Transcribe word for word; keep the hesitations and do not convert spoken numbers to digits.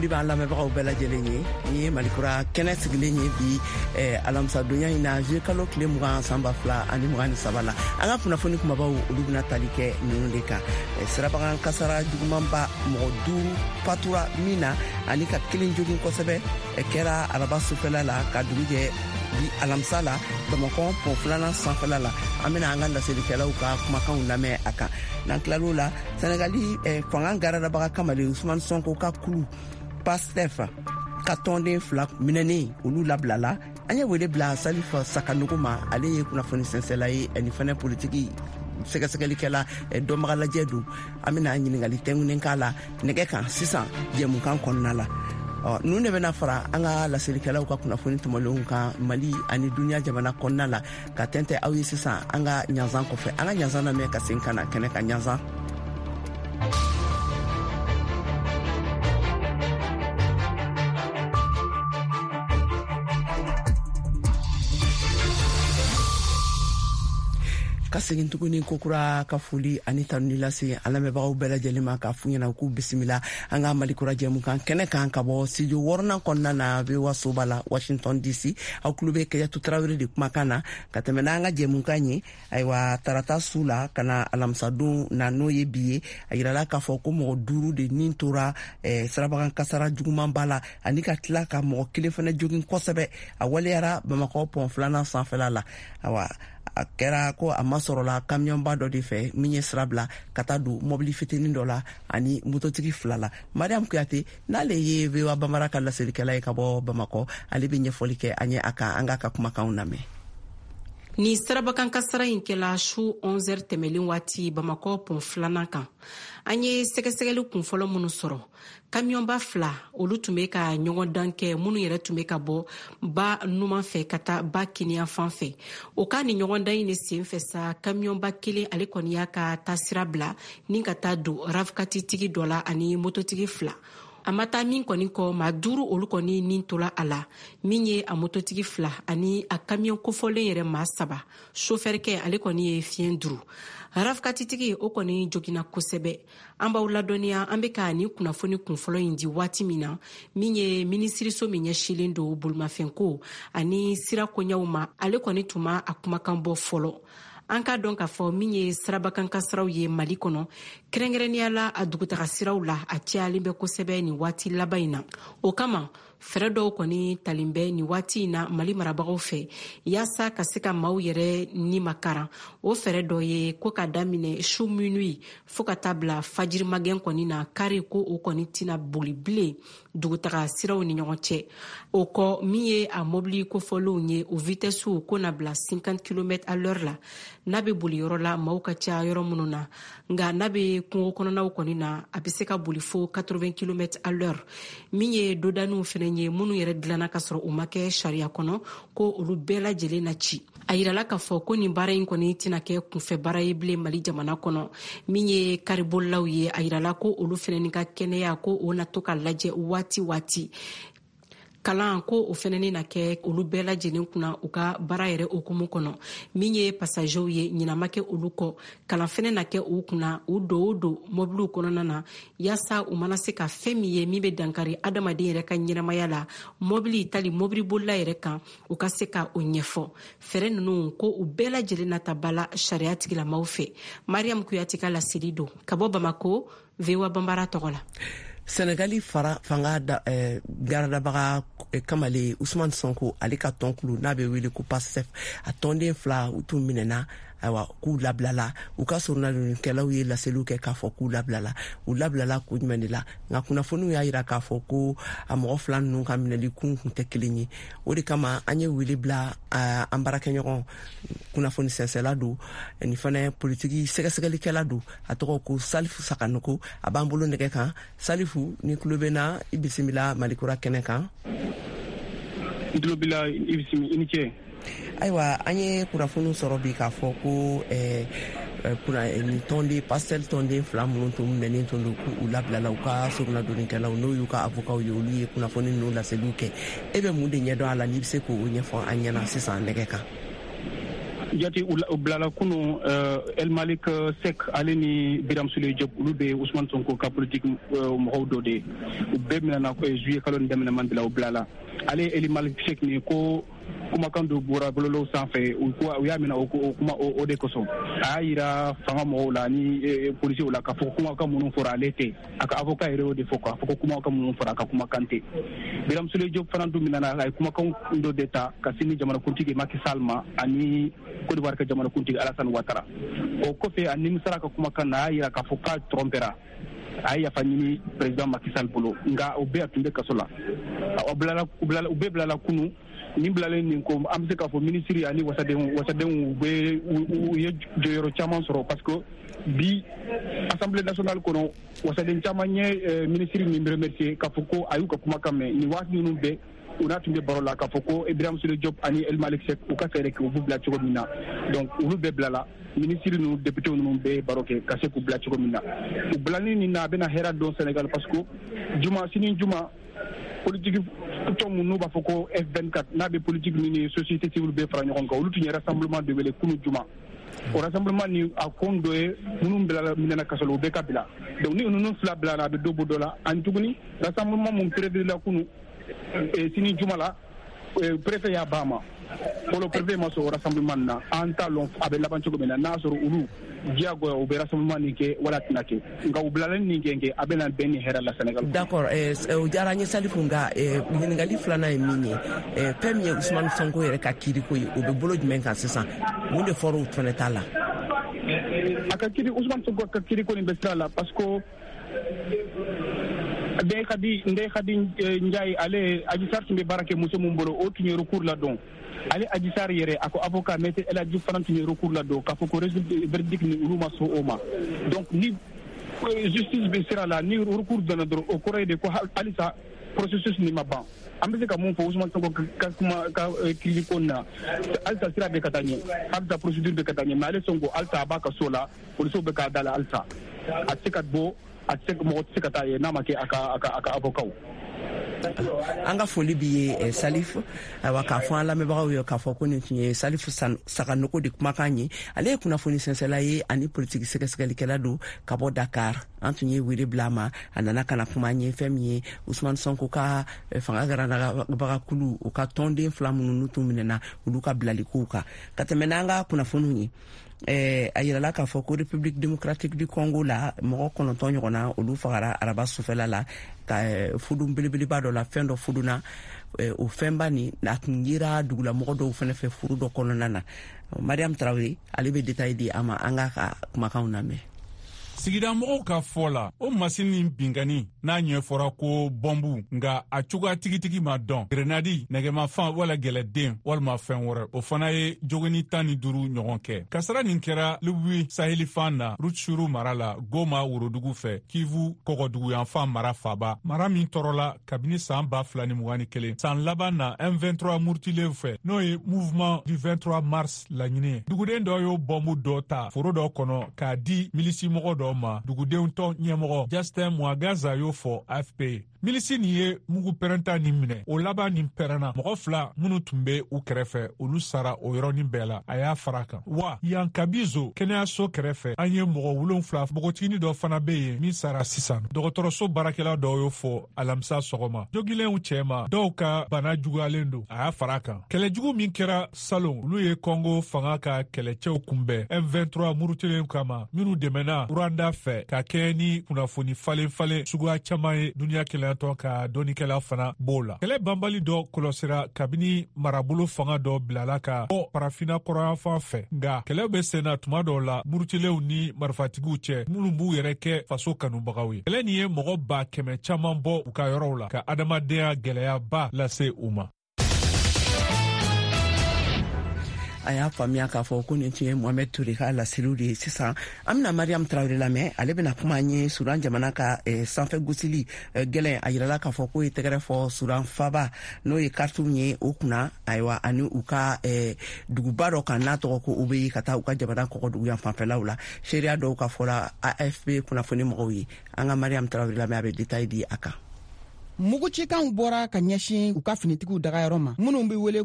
Foli b'an lamɛnbagaw bɛɛ lajɛlen ye. Ni ye Malikura kɛnɛ sigilen ye bi eh, alamisadonya in na, juillet kalo tile mugan, san ba fila ani mugan ni saba la. An ka kunnafoni kumabaw, olu bɛna tali kɛ ninnu de kan: eh, sirabakan kasara jugumanba, mɔgɔ duuru fatura min na ani ka kelen jogin kosɛbɛ, eh, kɛra araba sufɛla la ka dugu jɛ bi alamisa la, Bamakɔ pɔn filanan sanfɛla la. An bɛna an ka laselikɛlaw ka kumakanw lamɛn a kan. N'an tilal'o la, Sɛnɛgali eh, fanga garadabaga kamalen Usumani Sɔnko ka kulu Pastef ka tɔnden fila minɛnen, olu labilala. An ye wele bila Salif Sakanogo ma, ale ye kunnafoni sɛnsɛla ye ani fɛnɛ politiki sɛgɛsɛgɛlikɛla, eh, dɔnbaga lajɛ don. An bɛna ɲiningali tɛngunen k'a la nɛgɛ kan sisan jɛmukan kɔnɔna la. Ɔ, ninnu de bɛna fara an ka laselikɛlaw ka kunnafoni tɔmɔlenw kan Mali ani duniya jamana kɔnɔna la, ka tɛntɛ aw ye sisan an ka ɲanzan kɔfɛ. An ka ɲanzan lamɛn ka segin ka na kɛnɛ kan. Ɲanzan. Ka segin tuguni kokura ka foli ani tanuni lase an lamɛnbagaw bɛɛ lajɛlen ma, k'a f'u ɲɛna k'u bisimila an ka Malikura jɛmukan kɛnɛ kan ka bɔ studio wɔɔrɔnan kɔnɔna na, V O A soba la, Washington D C. Aw tulo bɛ Kajatu Tarawele de kumakan na ka tɛmɛ n'an ka jɛmukan ye. Ayiwa, tarata su la ka na alamisadon na, n'o ye bi ye, a yirala k'a fɔ ko mɔgɔ duuru de nin tora eh, sirabakan kasara jugumanba la ani ka tila ka mɔgɔ kelen fɛnɛ jogin kosɛbɛ. A waleyara Bamakɔ pɔn filanan sanfɛla la. Awa, a kɛra ko a masɔrɔla kamiyɔnba dɔ de fɛ min ye sira bila ka taa don mɔbili fitinin dɔ la ani mototigi fila la. Mariam Kuyate, n'ale ye V O A Bamara ka laselikɛla ye ka bɔ Bamakɔ, ale bɛ ɲɛfɔli kɛ an ye a kan. An k'a ka kumakanw lamɛn. Ni sirabakan kasara in kɛla su onze heures tɛmɛlen waati Bamakɔ pɔn filanan kan. An ye sɛgɛsɛgɛli kunfɔlɔ minnu sɔrɔ, kamiyɔnba fila olu tun bɛ ka ɲɔgɔn dan kɛ, minnu yɛrɛ tun bɛ ka bɔ ba numan fɛ ka taa ba kiniyan fan fɛ. O ka ni ɲɔgɔn dan in de sen fɛ sa, kamiyɔnba kelen ale kɔni y'a ka taasira bila ni ka taa don RAV quatre tigi dɔ la ani mototigi fila. A ma taa min kɔni kɔ, maa duuru olu kɔni nin tola a la, min ye a mototigi fila ani a kamiyɔn kofɔlen yɛrɛ maa saba. Sofɛrikɛ ale kɔni ye fiɲɛ duru. RAV quatre tigi o kɔni joginna kosɛbɛ. An b'aw ladɔnniya, an be ka nin kunnafoni kunfɔlɔ in di waati min na, min ye minisiriso min ɲɛsilen don bolimafɛnko ani sira koɲɛw ma, ale kɔni tun ma a kumakan bɔ fɔlɔ. An k'a dɔn k'a fɔ min ye sirabakan kasaraw ye Mali kɔnɔ, kɛrɛnkɛrɛnnenya la a dugutaga siraw la, a cayalen bɛ kosɛbɛ nin waati laban in na. O kama fɛɛrɛ dɔw kɔni talen bɛ nin waati in na Mali marabagaw fɛ yaasa ka se ka maaw yɛrɛ ni makaran. O fɛɛrɛ dɔ ye ko ka daminɛ su minuit fɔɔ ka taa bila fajiri magɛn kɔni na, kari ko o kɔni tɛna boli bilen dugutaga siraw ni ɲɔgɔn cɛ. O kɔ, min ye a mobili kofɔlenw ye, o vitesse ko na bila cinquante kilomètres à l'heure la n'a bɛ boli yɔrɔ la maaw ka ca yɔrɔ minnu na. Nka n'a bɛ kungo kɔnɔnaw kɔni na, a bɛ se ka boli fo quatre-vingts kilomètres à l'heure. Min ye dodaniw fɛnɛ ye, minnu yɛrɛ dilanna ka sɔrɔ u ma kɛ sariya kɔnɔ, ko olu bɛɛ lajɛlen na ci. A yirala k'a fɔ ko nin baara in kɔni tɛna kɛ kunfɛ baara ye bilen Mali jamana kɔnɔ. Min ye karibolilaw ye, a yirala ko olu fɛnɛ ka kɛnɛya ko o na to ka lajɛ waati waati. Kalan ko o fɛnɛ na kɛ olu bɛɛ lajɛlen kunna u ka baara yɛrɛ hukumu kɔnɔ. Min ye passagerw ye, ɲinama kɛ olu kɔ, kalan fɛnɛ na kɛ u kunna u don o don mobiliw kɔnɔna na, yaasa u mana se ka fɛn min ye min bɛ dankari adamaden yɛrɛ ka ɲɛnamaya la mɔbili tali mɔbilibolila yɛrɛ kan, u ka se ka o ɲɛfɔ. Fɛɛrɛ ninnu ko u bɛɛ lajɛlen na ta ba la sariya tigilamaw fɛ. Mariam Kuyate ka laseli don ka bɔ Bamako, V O A Banbara tɔgɔ la. Senegali fara fanga da, eh, garadabaga eh, kamalen Usman Sonko, ale ka tɔnkulu n'a bɛ wele ko Pastef, a tɔnden fila u tun minɛna. Ayiwa, k'u labilala. U ka soronadonnikɛlaw ye laseliw kɛ k'a fɔ k'u labilala. U labilala kun jumɛn de la? Nka kunnafoniw y'a yira k'a fɔ ko a mɔgɔ fila ninnu ka minɛli kun kun tɛ kelen ye. O de kama an ye wele bila uh, an baarakɛɲɔgɔn, kunnafoni sɛnsɛla don ni fana politiki sɛgɛsɛgɛlikɛla don, a tɔgɔ ko Salifu Sakanoko, a b'an bolo nɛgɛ kan. Salifu, ni tulo bɛ na, i bisimila Malikura kɛnɛ kan. N tulo b'i la, i bisimila, i ni ce. Ayiwa, an ye kunnafoniw sɔrɔ bi k'a fɔ ko eh, nin tɔnden Pastef tɔnden fila minnu tun minɛnen tun don, k'u labilala. U ka soronadonnikɛlaw, n'o y'u ka avokaw ye, olu ye kunnafoni ninnu laseliw kɛ. E bɛ mun de ɲɛdɔn a la, n'i bɛ se k'o ɲɛfɔ an ɲɛna sisan nɛgɛ kan? Jate, u bilala kunu. El Malik Seck, ale ni Biram Souleye Diop, olu bɛ Ousmane Sonko ka politique mɔgɔw dɔ de ye. U bɛɛ minɛna juillet kalo nin daminɛ man de la, u bilala. Ale El Malik Seck nin ko kumakan dɔ bɔra bɔlɔlɔw sanfɛ, u ko u y'a minɛ o kuma o de kosɔn. A y'a yira fanga mɔgɔw la ni polisiw la k'a fɔ kumakan minnu fɔra, ale tɛ. A ka avocat yɛrɛ y'o de fɔ, k'a fɔ ko kumakan minnu fɔra, a ka kumakan tɛ. Biram Souleye Diop fana dun minɛna, a ye kumakan dɔ de ta ka sini jamanakuntigi Macky Sall ma ani Côte d'Ivoire ka jamanakuntigi Alassane Ouattara. O kɔfɛ, a nimisara ka kumakan na, a y'a yira k'a fɔ k'a trompera, a ye yafa ɲini président Macky Sall bolo. Nka o bɛɛ, a tun bɛ kaso la. U bilala, u bɛɛ bilala kunu. Nin bilalen nin ko, an bɛ se k'a fɔ minisiri ani wasadenw wasadenw bɛ u ye jɔyɔrɔ caman sɔrɔ, parce que bi Assemblée nationale kɔnɔ, wasaden caman ye minisiri nin remercier k'a fɔ ko a y'u ka kumakan mɛn nin waati ninnu bɛɛ. U n'a tun bɛ baro la k'a fɔ ko Ibrahim Souleye Diop ani El Malik Seck, u ka fɛɛrɛ kɛ u b'u bila cogo min na. Donc olu bɛɛ bilala. Minisiri ninnu, député ninnu bɛɛ ye baro kɛ ka se k'u bila cogo min na. U bilali nin na, a bɛna hɛrɛ don Sénégal, parce que juma, sini juma, politique tɔn mun n'u b'a fɔ ko F vingt-quatre, n'a bɛ politique ni société civile bɛɛ fara ɲɔgɔn kan, olu tun ye rassemblement de wele kunu juma. O rassemblement ni a kun dɔ ye minnu bilala, minɛna kaso la, u bɛɛ ka bila. Donc ni ninnu fila bilala, a bɛ dɔ bɔ dɔ la. Ani tuguni, rassemblement mun prévu la kunu, sini juma la, préfet y'a ban ma fɔlɔ. Préfet ma sɔn o rassemblement na. An t'a lɔn a bɛ laban cogo min na, n'a sɔrɔ olu diyagoya u bɛ rassemblement nin kɛ wala tɛna kɛ. Nka u bilalen nin kɛ kɛ a bɛna bɛn ni hɛrɛ la Sénégal. D'accord, o diyara n ye, Salifu. Nka ɲininkali filanan ye min ye, fɛn min ye Ousmane Sonko yɛrɛ ka kiiriko ye, o bɛ bolo jumɛn kan sisan? Mun de fɔra o fɛnɛ ta la? A ka kiiri, Ousmane Sonko ka kiiriko nin bɛ sira la, parce que Ndeye Khady Ndeye Khady Ndiaye, ale Adji Sarr tun bɛ baara kɛ muso mun bolo, o tun ye recours ladon. Ale Adji Sarr yɛrɛ, a ko avocat maître El Hadji Diouf fana tun ye recours ladon k'a fɔ ko résultat verdict ni, olu ma sɔn o ma. Donc ni justice bɛ sira la, ni recours donna dɔrɔn, o kɔrɔ ye de ko halisa processus nin ma ban. An bɛ se ka mun fɔ Ousmane Sonko ka kuma ka kiiri ko na, halisa sira bɛ ka taa ɲɛ, halisa procédure bɛ ka taa ɲɛ. Mais ale Sonko, halisa a b'a ka so la, polisiw bɛ k'a da la, halisa a tɛ se ka bɔ, a tɛ se, mɔgɔ tɛ se ka taa yen n'a ma kɛ a ka a ka a ka avocat. An ka foli b'i ye, Salif. Ayiwa, k'a fɔ an lamɛnbagaw ye k'a fɔ ko nin tun ye Salif Saganoko de kumakan ye. Ale ye kunnafoni sɛnsɛla ye ani politiki sɛgɛsɛgɛlikɛla don ka bɔ Dakar. An tun ye wele bila a ma, a nana ka na kuma an ye fɛn min ye Usman Sonko ka fanga garanabagakulu, u ka tɔnden fila minnu n'u tun minɛna, olu ka bilalikow kan. Ka tɛmɛ n'an ka kunnafoniw ye, eh, a yirala k'a fɔ ko République démocratique du Congo la, mɔgɔ kɔnɔntɔn ɲɔgɔnna, olu fagara araba sufɛla la ka eh, fudun belebeleba dɔ la. Fɛn dɔ fudunna eh, o fɛnba nin, a tun yera dugulamɔgɔ dɔw fɛnɛ fɛ furu dɔ kɔnɔna na. Mariam Tarawele, ale bɛ détail di an ma. An k'a ka kumakanw lamɛn. Sigidamɔgɔw ka fɔ la, o masini nin binkani n'a ɲɛfɔra ko bɔnbu, nga a cogoya tigitigi ma dɔn, grenadi, nɛgɛmafan wala gɛlɛden walima fɛn wɛrɛ, o fana ye jogoni tan ni duru ɲɔgɔn kɛ. Kasara nin kɛra Lubui sahilifan na, Rutshuru mara la, Goma worodugu fɛ, Kivu kɔgɔduguyanfan mara faba, mara min tɔɔrɔla kabini saan ba fila ni mugan ni kelen, san laban na M vingt-trois murutilenw fɛ, n'o ye Mouvement du vingt-trois mars laɲini ye. Duguden dɔ y'o bɔnbu dɔ ta foro dɔ kɔnɔ k'a di milisimɔgɔ dɔ ma. Dugudenw tɔn ɲɛmɔgɔ Justin Mwagaza y'o fɔ A F P. Milisi nin ye mugu pɛrɛnta nin minɛ, o laban nin pɛrɛnna. Mɔgɔ fila minnu tun be u kɛrɛfɛ, olu sara o yɔrɔnin bɛɛ la, a y'a fara kan. Wa yan Kabizo kɛnɛyaso kɛrɛfɛ, an ye mɔgɔ wolonfila, npogotigini dɔ fana be yen min sara sisan, dɔgɔtɔrɔso baarakɛla dɔw y'o fɔ alamisa sɔgɔma. Jogilenw cɛma, dɔw ka bana juguyalen don, a y'a fara kan. Kɛlɛjugu min kɛra salon, olu ye Kɔngo fanga ka kɛlɛcɛw kunbɛn M vingt-trois murutilenw kama, minnu dɛmɛna Rwanda fɛ ka kɛɲɛ ni kunnafoni falen falen suguya caman ye. Duniɲa kelenyatɔn ka dɔnnikɛla fana b'o la. Kɛlɛ banbali dɔ kɔlɔsira kabini marabolo fanga dɔ bilala ka bɔ Farafina kɔrɔyanfan fɛ, nga kɛlɛ bɛ senna tuma dɔw la murutilenw ni marifatigiw cɛ minnu b'u yɛrɛ kɛ faso kanubagaw ye. Kɛlɛ nin ye mɔgɔ ba kɛmɛ caman bɔ u ka yɔrɔw la, ka adamadenya gwɛlɛyaba lase u ma. A y'a faamuya k'a fɔ ko nin tun ye Mohamɛd Ture ka laseliw de ye. Sisan an bɛna Mariam Tarawele lamɛn. Ale bɛna kuma an ye Sudan jamana ka eh, sanfɛ gosili eh, gɛlɛn. A yirala k'a fɔ k'o ye tɛgɛrɛ fɔ Sudan faba, n'o ye Khartoum ye, o kunna. Ayiwa, ani u ka eh, duguba dɔ kan n'a tɔgɔ ko Obeyi, ka taa u ka jamana kɔgɔdugu yan fanfɛlaw la. Seereya dɔw ka fɔla A F P kunnafoni mɔgɔw ye. An ka Mariam Tarawele lamɛn, a bɛ détail di a kan. Mugucikanw bɔra ka ɲɛsin u ka finitigiw dagayɔrɔ ma minnu be wele.